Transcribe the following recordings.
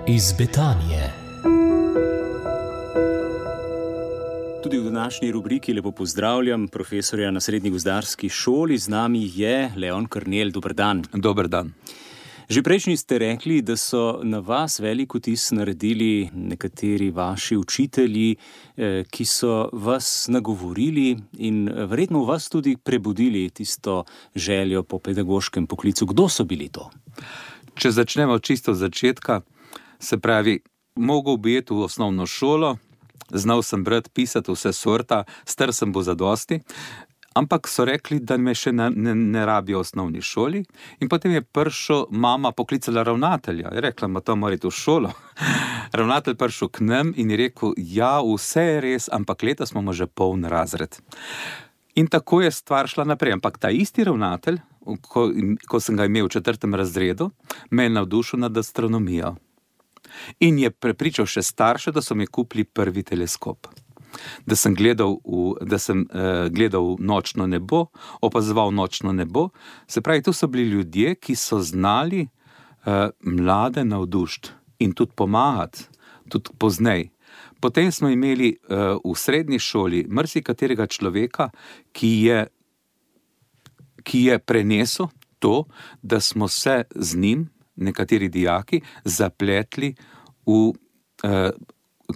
iz Betanije. Tudi v današnji rubriki lepo pozdravljam profesorja na Srednji gozdarski šoli. Z nami je Leon Karnel. Dober dan. Dober dan. Že prejšnji ste rekli, da so na vas velik vtis naredili nekateri vaši učitelji, ki so vas nagovorili in verjetno v vas tudi prebudili tisto željo po pedagoškem poklicu. Kdo so bili to? Če začnemo čisto od začetka, se pravi, mogel bi iti v osnovno šolo, znal sem brati, pisati vse sorta, star sem bo zadosti, ampak so rekli, da me še ne rabijo v osnovni šoli, in potem je prišel mama poklicala ravnatelja. Je rekla, ma to morate v šolo. Ravnatelj prišel k nam in je rekel, ja, vse je res, ampak letos imamo že poln razred. In tako je stvar šla naprej. Ampak ta isti ravnatelj, ko sem ga imel v 4. razredu, me je navdušil nad astronomijo. In je prepričal še starše, da so mi kupili prvi teleskop. Da sem gledal nočno nebo, opazoval nočno nebo. Se pravi, tu so bili ljudje, ki so znali mlade navdušiti in tudi pomagati, tudi poznej. Potem smo imeli v srednji šoli marsikaterega človeka, ki je prenesel to, da smo se z njim, nekateri dijaki, zapletli v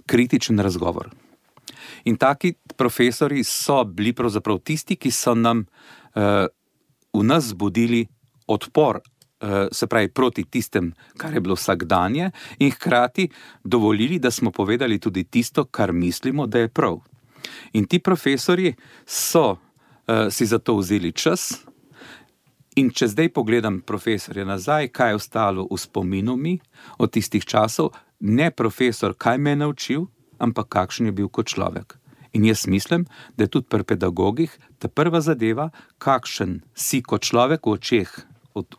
kritičen razgovor. In taki profesori so bili pravzaprav tisti, ki so nam v nas zbudili odpor, se pravi proti tistem, kar je bilo vsakdanje, in hkrati dovolili, da smo povedali tudi tisto, kar mislimo, da je prav. In ti profesori so si za to vzeli čas. In če zdaj pogledam profesorja nazaj, kaj je ostalo v spominu mi od tistih časov, ne profesor, kaj me je naučil, ampak kakšen je bil kot človek. In jaz mislim, da je tudi pri pedagogih ta prva zadeva, kakšen si kot človek v očeh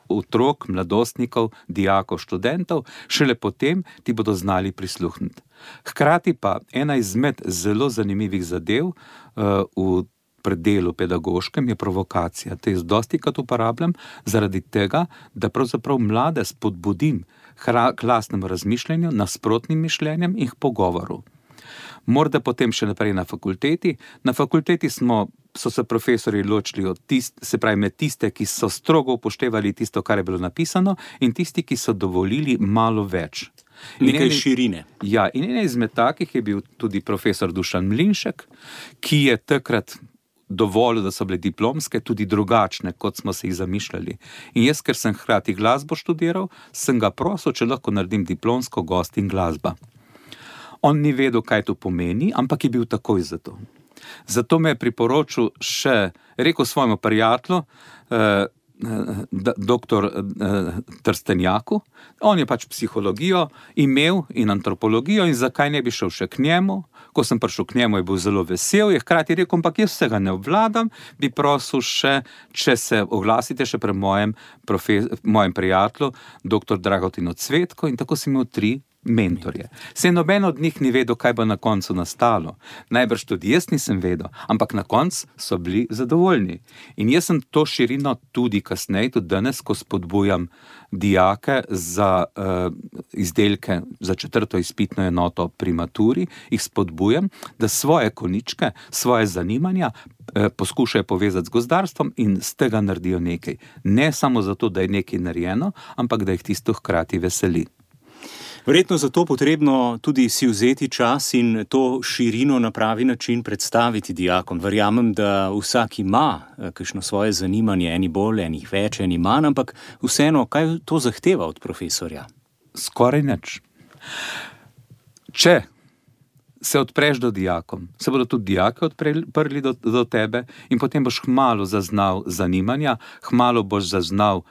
otrok, mladostnikov, dijakov, študentov, šele potem ti bodo znali prisluhniti. Hkrati pa ena izmed zelo zanimivih zadev v predelu pedagoškem je provokacija. To jaz dostikrat uporabljam zaradi tega, da pravzaprav mlade spodbudim k lastnemu razmišljanju, nasprotnim mišljenjem in k pogovoru. Morda potem še naprej na fakulteti. Na fakulteti so se profesori ločili med tiste, ki so strogo upoštevali tisto, kar je bilo napisano, in tisti, ki so dovolili malo več. Nekaj širine. Ja, in ena izmed takih je bil tudi profesor Dušan Mlinšek, ki je takrat dovolj, da so bile diplomske tudi drugačne, kot smo se jih zamišljali. In jaz, ker sem hkrati glasbo študiral, sem ga prosil, če lahko naredim diplomsko gost in glasba. On ni vedel, kaj to pomeni, ampak je bil takoj za to. Zato me je priporočil rekel svojemu prijatelju, doktor Trstenjaku. On je pač psihologijo imel in antropologijo in zakaj ne bi šel še k njemu. Ko sem prišel k njemu, je bil zelo vesel, je hkrati rekel, ampak jaz vsega ne obvladam, bi prosil še, če se oglasite še pri mojem prijatelju, doktor Dragotinu Cvetko, in tako sem imel 3 mentorje. Saj noben od njih ni vedel, kaj bo na koncu nastalo. Najbrž tudi jaz nisem vedel, ampak na koncu so bili zadovoljni. In jaz sem to širino tudi kasneje, tudi danes, ko spodbujam dijake za izdelke za 4. izpitno enoto pri maturi, jih spodbujam, da svoje koničke, svoje zanimanja poskušajo povezati z gozdarstvom in z tega naredijo nekaj. Ne samo zato, da je nekaj narejeno, ampak da jih tisto hkrati veseli. Verjetno zato potrebno tudi si vzeti čas in to širino na pravi način predstaviti dijakom. Verjamem, da vsak ima kakšno svoje zanimanje, eni bolj, eni več, eni manj, ampak vseeno, kaj to zahteva od profesorja? Skoraj nič. Če se odpreš do dijakom, se bodo tudi dijaki odprli do tebe in potem boš hmalu zaznal zanimanja, hmalu boš zaznal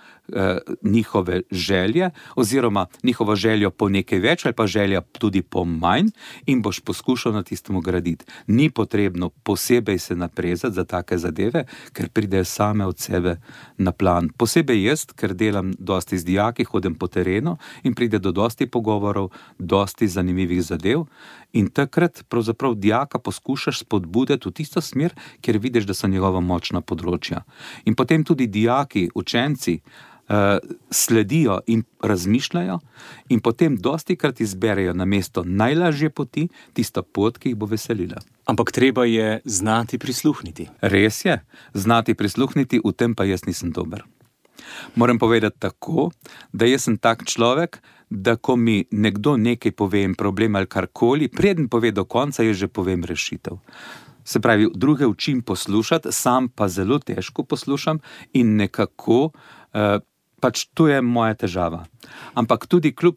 njihove želje oziroma njihovo željo po nekaj več ali pa želja tudi po manj in boš poskušal na tistemu graditi. Ni potrebno posebej se naprezati za take zadeve, ker pridejo same od sebe na plan. Posebej jaz, ker delam dosti z dijaki, hodim po terenu in pride do dosti pogovorov, dosti zanimivih zadev in takrat pravzaprav dijaka poskušaš spodbuditi v tisto smer, kjer vidiš, da so njegova močna področja. In potem tudi dijaki, učenci, sledijo in razmišljajo in potem dostikrat izberejo namesto najlažje poti tisto pot, ki jih bo veselila. Ampak treba je znati prisluhniti. Res je, znati prisluhniti, v tem pa jaz nisem dober. Moram povedati tako, da jaz sem tak človek, da ko mi nekdo nekaj pove in problem ali karkoli, preden pove do konca, jaz že povem rešitev. Se pravi, druge učim poslušati, sam pa zelo težko poslušam in nekako, pač to je moja težava. Ampak tudi kljub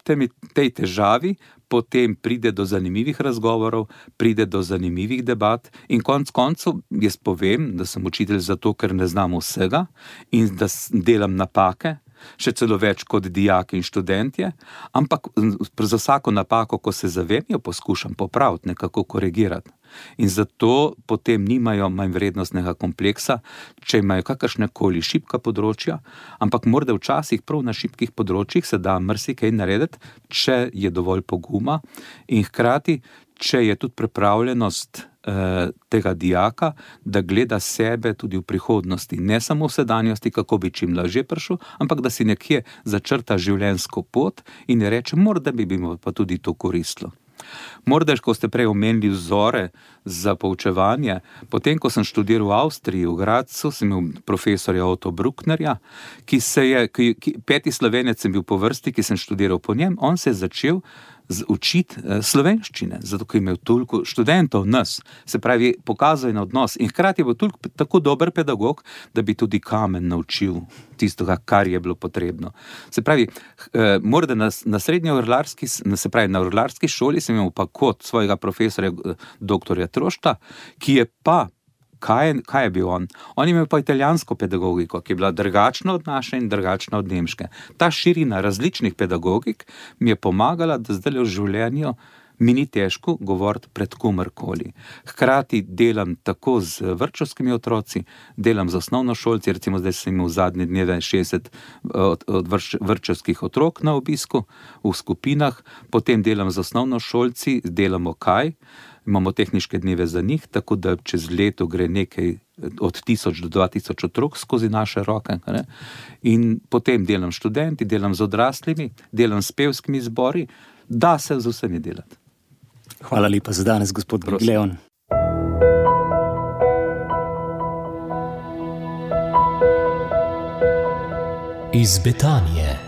tej težavi, potem pride do zanimivih razgovorov, pride do zanimivih debat in konec koncev jaz povem, da sem učitelj zato, ker ne znam vsega in da delam napake, še celo več kot dijaki in študentje, ampak za vsako napako, ko se zavem, jo poskušam popraviti, nekako korigirati. In zato potem nimajo manj vrednostnega kompleksa, če imajo kakršnekoli šibka področja, ampak morda včasih prav na šibkih področjih se da marsikaj narediti, če je dovolj poguma in hkrati, če je tudi pripravljenost tega dijaka, da gleda sebe tudi v prihodnosti, ne samo v sedanjosti, kako bi čim lažje prišel, ampak da si nekje začrta življenjsko pot in reče, morda bi mi pa tudi to koristilo. Morda, ko ste prej omenili vzore za poučevanje, potem, ko sem študiral v Avstriji, v Gradcu, sem imel profesorja Otto Brucknerja, peti Slovenec sem bil po vrsti, ki sem študiral po njem, on se je začel učiti slovenščine, zato ker je imel toliko študentov nas, se pravi, pokazal je na odnos in hkrati je bil tako dober pedagog, da bi tudi kamen naučil tistega, kar je bilo potrebno. Se pravi, morda na srednji orlarski, se pravi, na orlarski šoli sem imel pa kot svojega profesorja doktorja Trošta, ki je pa Kaj je bil on? On je imel pa italijansko pedagogiko, ki je bila drugačna od naše in drugačna od nemške. Ta širina različnih pedagogik mi je pomagala, da zdaj v življenju mi ni težko govoriti pred komerkoli. Hkrati delam tako z vrtčevskimi otroci, delam z osnovnošolci, recimo zdaj sem imel zadnje dneve 60 od vrtčevskih otrok na obisku v skupinah, potem delam z osnovnošolci, delamo kaj? Imamo tehniške dneve za njih, tako da čez leto gre nekaj od 1000 do 2000 otrok skozi naše roke. Ne? In potem delam študenti, delam z odraslimi, delam s pevskimi zbori, da se z vsemi delati. Hvala lepa za danes, gospod Gregleon. Iz Betanije.